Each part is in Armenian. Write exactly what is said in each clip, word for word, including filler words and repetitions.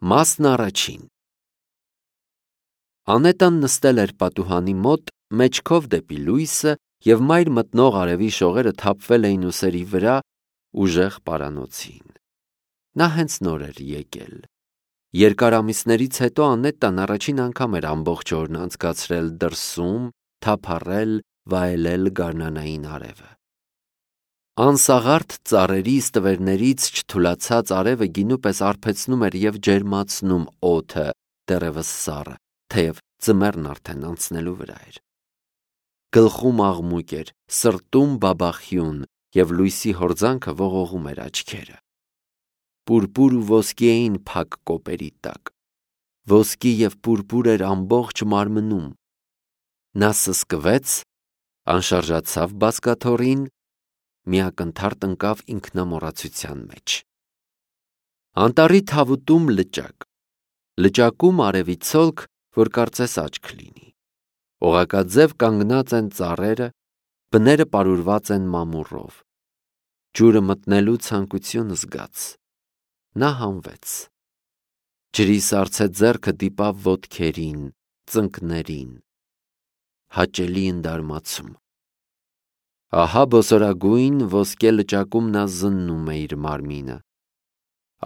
Մասն առաջին։ Անետան նստել էր պատուհանի մոտ, մեջքով դեպի լույսը, և մայր մտնող արևի շողերը թափվել էին ուսերի վրա ուժեղ պարանոցին։ Նա հենց նոր էր եկել։ Երկար ամիսներից հետո Անետան առաջին անգամ էր ամբողջ օրն անցկացրել դրսում, թափառել, վայելել գարնանային արևը։ Անսաղարթ ծառերի ստվերներից չթուլացած արևը գինու պես արբեցնում էր և ջերմացնում օդը, դեռևս սառը, թեև ձմեռն արդեն անցնելու վրա էր։ Գլխում աղմուկ էր, սրտում բաբախյուն, և լույսի հորձանքը ողողում էր աչքերը։ Պուրպուր ու ոսկի էին փակ կոպերի տակ։ Ոսկի և պուրպուր էր ամբողջ մարմնում։ Նա սսկվեց, անշարժացավ բազկաթոռին, մի ակնթարթ ընկավ ինքնամոռացության մեջ։ Անտառի թավուտում լճակ, լճակում արևի ցոլք, որ կարծես աչք լինի։ Օղակաձև կանգնած են ծառերը, բները պարուրված են մամուռով։ Ջուրը մտնելու ցանկություն զգաց։ Նա հանվեց։ Ջրի սառցե ձեռքը դիպավ ոտքերին, ծնկներին։ Հաճելի ընդարմացում։ Ահա բոսորագույն ոսկե լճակում նա զննում է իր մարմինը։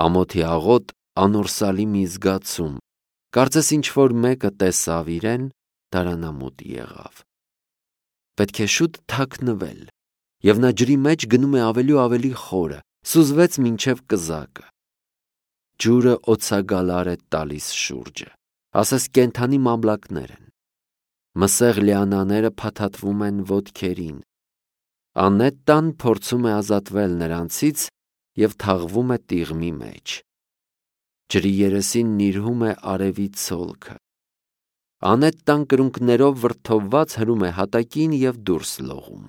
Ամոթի աղոտ, անորսալի մի զգացում, կարծես ինչ-որ մեկը տեսավ իրեն, դարանամուտ եղավ։ Պետք է շուտ թաքնվել, և նա ջրի մեջ գնում է ավելի ու ավելի խորը, սուզվեց մինչև կզակը։ Ջուրը օձագալար է տալիս շուրջը, ասես կենդանի մամլակներ են։ Մսեղ լիանաները փաթաթվում են ոտքերին։ Անետան փորձում է ազատվել նրանցից և թաղվում է տիղմի մեջ։ Ջրի երեսին նիրհում է արևի ցոլքը։ Անետան կրունկներով վրդովված հրում է հատակին և դուրս լողում։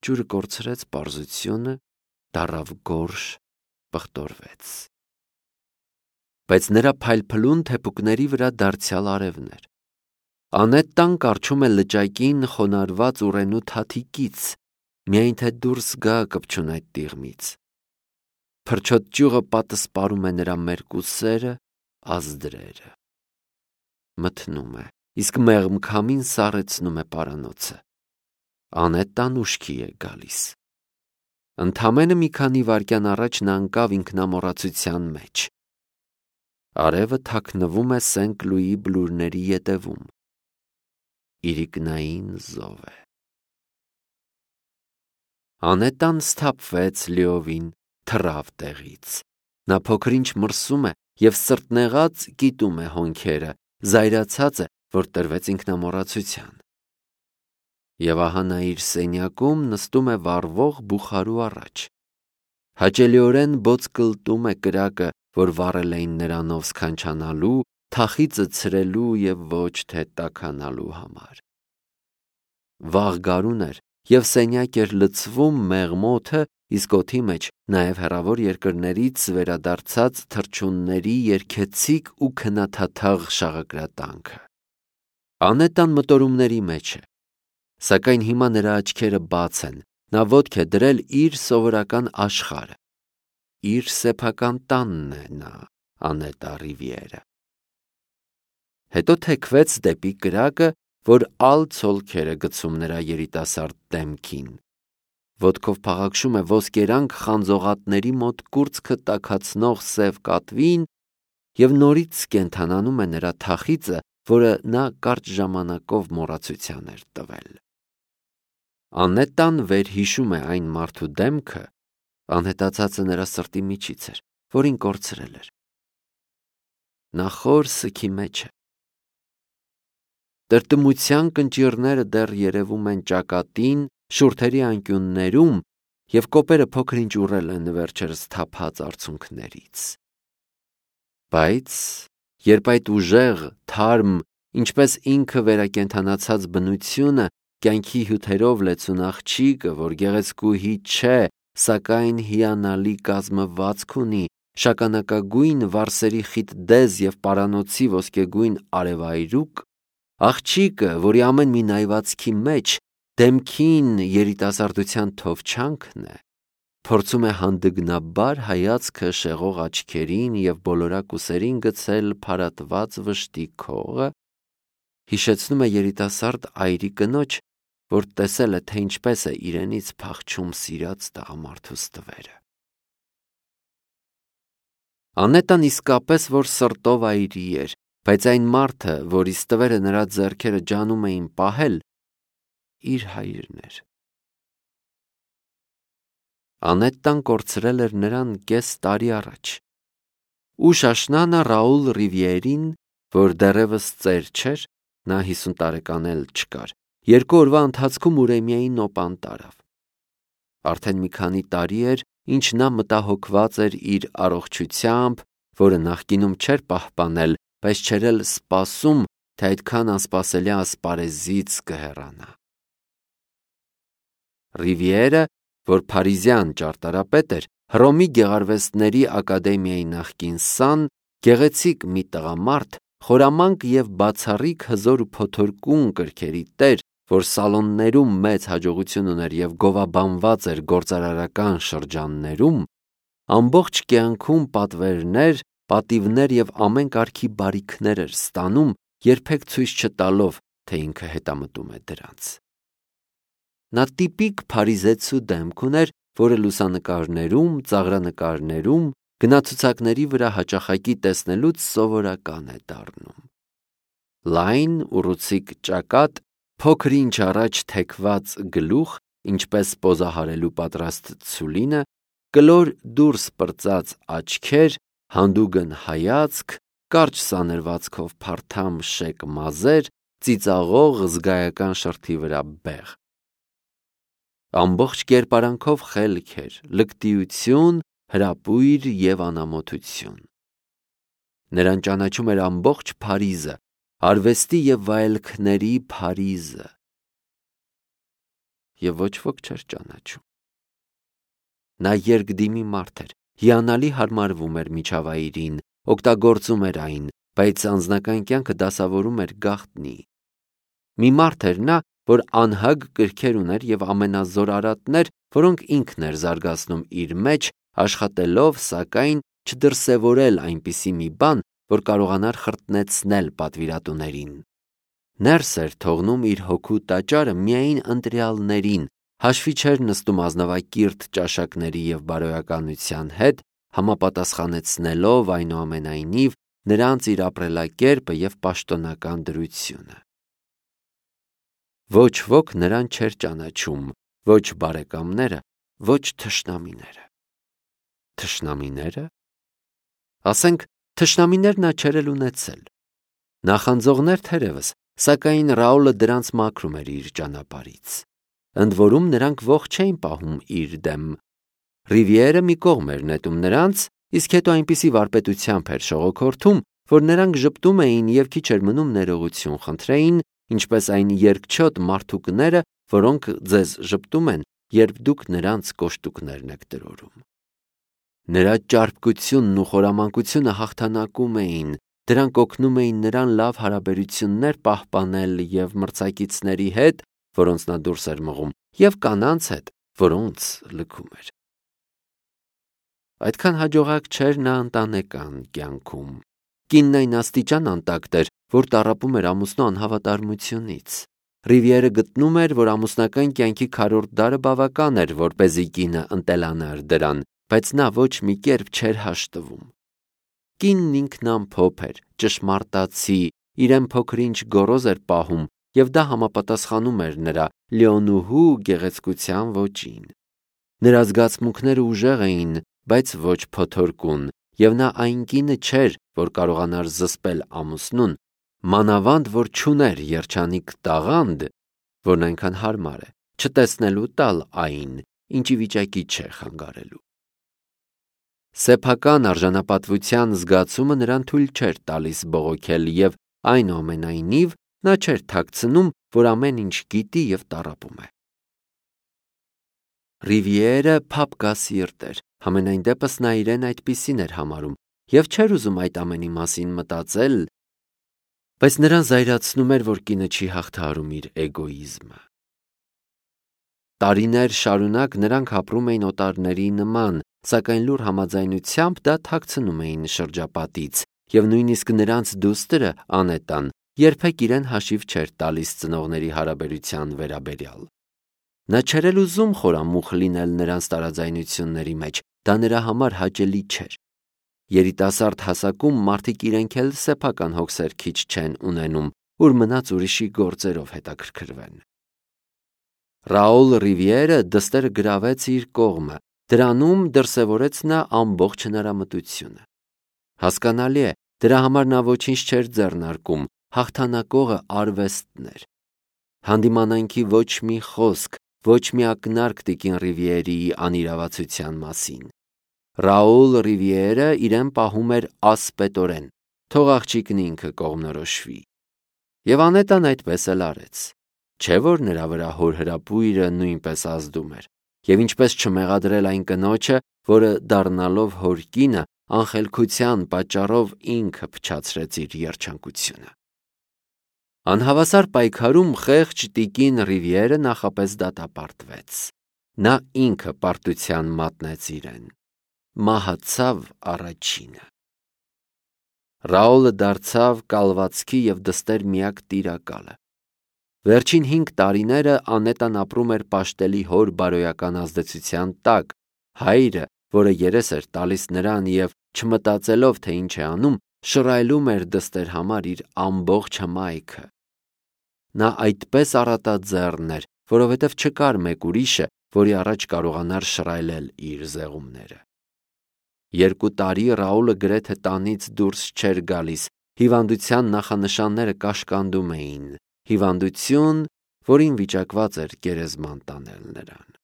Ջուրը կորցրեց պարզությունը, դառավ գորշ, պղտորվեց։ Բայց նրա փայլփլուն թեփուկների վրա դարձյալ արևն էր։ Անետան կառչում է լճակին խոնարհված ուռենու թաթիկից, միայն թե դուրս գա կպչուն այդ տիղմից։ Փրչոտ ճյուղը պատսպարում է նրա մերկուսերը, ազդրերը։ Մթնում է, իսկ մեղմ քամին սառեցնում է պարանոցը։ Անետան ուշքի է գալիս։ Ընդամենը մի քանի վայրկյան առաջ նա ընկավ ինքնամոռացության մեջ։ Արևը թաքնվում է Սենք-Լուիի բլուրների ետևում։ Իրիկնային զով է։ Անետան սթափվեց լիովին, թռավ տեղից։ Նա փոքր-ինչ մրսում է և սրտնեղած կիտում է հոնքերը, զայրացած է, որ տրվեց ինքնամոռացության։ Եվ ահա նա իր սենյակում նստում է վառվող բուխարու առաջ։ Հաճելիորեն բոց կլտում է կրակը, որ վառել էին նրանով սքանչանալու, թախիծը ցրելու և ոչ թե տաքանալու համար։ Վաղ գարուն էր, և սենյակ էր լցվում մեղմ օդը, իսկ օդի մեջ նաև հեռավոր երկրներից վերադարձած թռչունների երգեցիկ ու քնաթաթաղ շաղակրատանքը։ Անետան մտորումների մեջ է, սակայն հիմա նրա աչքերը բաց են, նա ոտք է դրել իր սովորական աշխարհը։ Իր սեփական տանն է նա, Անետա Ռիվիերը։ Հետո թեքվեց դեպի կրակը, որ ալ ցոլքեր է գցում նրա երիտասարդ դեմքին։ Ոտքով փաղաքշում է ոսկերանք խանձողատների մոտ կուրծքը տաքացնող սև կատվին և նորից կենդանանում է նրա թախիծը, որը նա կարճ ժամանակով մոռացության էր տվել։ Անետան վերհիշում է այն մարդու դեմքը, անհետացածը նրա սրտի միջից էր, որին կորցրել էր։ Նա խոր սգի մեջ է։ Տրտմության կնճիռները դեռ երևում են ճակատին, շուրթերի անկյուններում, և կոպերը փոքր-ինչ ուռել են վերջերս թափած արցունքներից։ Բայց երբ այդ ուժեղ, թարմ, ինչպես ինքը վերակենդանացած բնությունը, կյանքի հյութերով լեցուն աղջիկը, որ գեղեցկուհի չէ, սակայն հիանալի կազմվածք ունի, շագանակագույն վարսերի խիտ դեզ և պարանոցի ոսկեգույն արևայրուք, աղջիկը, որի ամեն մի նայվածքի մեջ դեմքին երիտասարդության թովչանքն է, փորձում է հանդգնաբար հայացքը շեղող աչքերին և բոլորակ ուսերին գցել փարատված վշտի քողը, հիշեցնում է երիտասարդ այրի կնոջ, որ տեսել է, թե ինչպես է իրենից փախչում սիրած տղամարդու ստվերը։ Անետան իսկապես որ սրտով այրի էր, բայց այն մարդը, որի ստվերը նրա ձեռքերը ջանում էին պահել, իր հայրն էր։ Անետտան կորցրել էր նրան կես տարի առաջ։ Ու Շաշնանը Ռաուլ Ռիվիերին, որ դեռևս ծեր չէր, նա հիսուն տարեկան էլ չկար, երկու օրվա ընթացքում Ուրեմիայի նոպան տարավ։ Արդեն մի քանի տարի էր, ինչ նա մտահոգված էր իր առողջությամբ, որը նախկինում չէր պահպանել, բայց չէր էլ սպասում, թե այդքան անսպասելի ասպարեզից կհեռանա։ Ռիվիերը, որ փարիզյան ճարտարապետ էր, Հռոմի գեղարվեստների ակադեմիայի նախկին սան, գեղեցիկ մի տղամարդ, խորամանկ և բացառիկ հզոր ու փոթորկուն կրքերի տեր, որ սալոններում մեծ հաջողություն ուներ և գովաբանված էր գործարարական շրջաններում, ամբողջ կյանքում պատվերներ, պատիվներ և ամեն կարգի բարիքներ էր ստանում, երբեք ցույց չտալով, թե ինքը հետամտում է դրանց։ Նա տիպիկ փարիզեցու դեմք ուներ, որը լուսանկարներում, ծաղրանկարներում, գնացուցակների վրա հաճախակի տեսնելուց սովորական է դառնում։ Լայն, ուռուցիկ ճակատ, փոքր ինչ առաջ թեքված գլուխ, ինչպես պոզահարելու պատրաստ ցուլինը, կլոր դուրս պրծած աչքեր, հանդուգն հայացք, կարճ սանրվածքով փարթամ շեկ մազեր, ծիծաղող զգայական շրթի վրա բեղ։ Ամբողջ կերպարանքով խելք էր, լկտիություն, հրապույր և անամոթություն։ Նրան ճանաչում էր ամբողջ Փարիզը, արվեստի և վայելքների Փարիզը, և ոչ ոք չէր ճանաչում։ Նա երկդիմի մարդ էր, հիանալի հարմարվում էր միջավայրին, օգտագործում էր այն, բայց անձնական կյանքը դասավորում էր գաղտնի։ Մի մարդ էր նա, որ անհագ կրքեր ուներ և ամենազոր արատներ, որոնք ինքն էր զարգացնում իր մեջ, աշխատելով, սակայն, չդրսևորել այնպիսի մի բան, որ կարողանար խրտնեցնել պատվիրատուներին։ Ներս էր թողնում իր հոգու տաճարը միայն ընտրյալներին, հաշվի չէր նստում ազնվակիրթ ճաշակների և բարոյականության հետ, համապատասխանեցնելով այնուամենայնիվ նրանց իր ապրելակերպը և պաշտոնական դրությունը։ Ոչ ոք նրան չէր ճանաչում, ոչ բարեկամները, ոչ թշնամիները։ Թշնամիները։ Ասենք, թշնամիներ նա չէր էլ ունեցել։ Նախանձողներ թերևս, սակայն Ռաուլը դրանց մաքրում էր իր ճանապարհից։ Ընդ որում նրանք ողջ չէին պահում իր դեմ։ Ռիվիերը մի կողմ էր նետում նրանց, իսկ հետո այնպիսի վարպետությամբ էր շողոքորթում, որ նրանք ժպտում էին և քիչ էր մնում ներողություն խնդրեին, ինչպես այն երկչոտ մարդուկները, որոնք ձեզ ժպտում են, երբ դուք նրանց կոշտուկներն եք տրորում։ Նրա ճարպկությունն ու խորամանկությունը հաղթանակում էին, դրանք օգնում էին նրան լավ հարաբերություններ պահպանել և մրցակիցների հետ, որոնց նա դուրս էր մղում, և կանանց հետ, որոնց լքում էր։ Այդքան հաջողակ չէր նա ընտանեկան կյանքում։ Կինն այն աստիճան անտակտ էր, որ տառապում էր ամուսնու անհավատարմությունից։ Ռիվիերը գտնում էր, որ ամուսնական կյանքի քառորդ դարը բավական էր, որպեսզի կինը ընտելանար դրան, բայց նա ոչ մի կերպ չէր հաշտվում։ Կինն ինքն ամփոփ էր, ճշմարտացի, իրեն փոքր-ինչ գոռոզ էր պահում, և դա համապատասխանում էր նրա լիոնուհու գեղեցկության ոճին։ Նրա զգացմունքները ուժեղ էին, բայց ոչ փոթորկուն, և նա այն կինը չէր, որ կարողանար զսպել ամուսնուն, մանավանդ որ չուներ երջանիկ տաղանդ, որն այնքան հարմար է, չտեսնելու տալ այն, ինչի վիճակի չէ խանգարելու։ Սեփական արժանապատվության զգացումը նրան թույլ չէր տալիս բողոքել և այնուամենայնիվ նա չէր թաքցնում, որ ամեն ինչ գիտի և տառապում է։ Ռիվիերը փափկասիրտ էր, համենայն դեպս նա իրեն այդպիսին էր համարում և չէր ուզում այդ ամենի մասին մտածել, բայց նրան զայրացնում էր, որ կինը չի հաղթահարում իր էգոիզմը։ Տարիներ շարունակ նրանք ապրում էին օտարների նման, սակայն լուր համաձայնությամբ դա թաքցնում էին շրջապատից, և նույնիսկ նրանց դուստրը Անետան երբեք իրեն հաշիվ չէր տալիս ծնողների հարաբերության վերաբերյալ։ Նա չէր էլ ուզում խորամուխ լինել նրանց տարաձայնությունների մեջ, դա նրա համար հաճելի չէր։ Երիտասարդ հասակում մարդիկ իրենք էլ սեփական հոգսեր քիչ չեն ունենում, որ մնաց ուրիշի գործերով հետաքրքրվեն։ Ռաուլ Ռիվիերը դստերը գրավեց իր կողմը, դրանում դրսևորեց նա ամբողջ հնարամտությունը։ Հասկանալի է, դրա համար նա ոչինչ չէր ձեռնարկում, հաղթանակողը արվեստն էր։ Հանդիմանանքի ոչ մի խոսք, ոչ մի ակնարկ տիկին Ռիվիերիի անիրավացության մասին։ Ռաուլ Ռիվիերը իրեն պահում էր ասպետորեն, թող աղջիկն ինքը կողմնորոշվի։ Եվ Անետան այդպես էլ արեց։ Չէ՞ որ նրա վրա հոր հրապույրը նույնպես ազդում էր, և ինչպես չմեղադրել այն կնոջը, որը դառնալով հոր կինը, անխելքության պատճառով ինքը փչացրեց իր երջանկությունը։ Անհավասար պայքարում խեղճ տիկին Ռիվիերը նախապես դատապարտվեց։ Նա ինքը պարտության մատնեց իրեն։ Մահացավ առաջինը։ Ռաուլը դարձավ կալվածքի և դստեր միակ տիրակալը։ Վերջին հինգ տարիները Անետան ապրում էր պաշտելի հոր բարոյական ազդեցության տակ, հայրը, որը երես էր տալիս նրան և չմտածելով, թե ինչ է անում, շռայլում էր դստեր համար իր ամբողջ հմայքը։ Նա այդպես առատաձեռն էր, որովհետև չկար մեկ ուրիշը, որի առաջ կարողանար շռայլել իր զեղումները։ Երկու տարի Ռաուլը գրեթե տանից դուրս չէր գալիս, հիվանդության նախանշանները կաշկանդում էին, հիվանդություն, որին վիճակված էր գերեզման տանել նրան։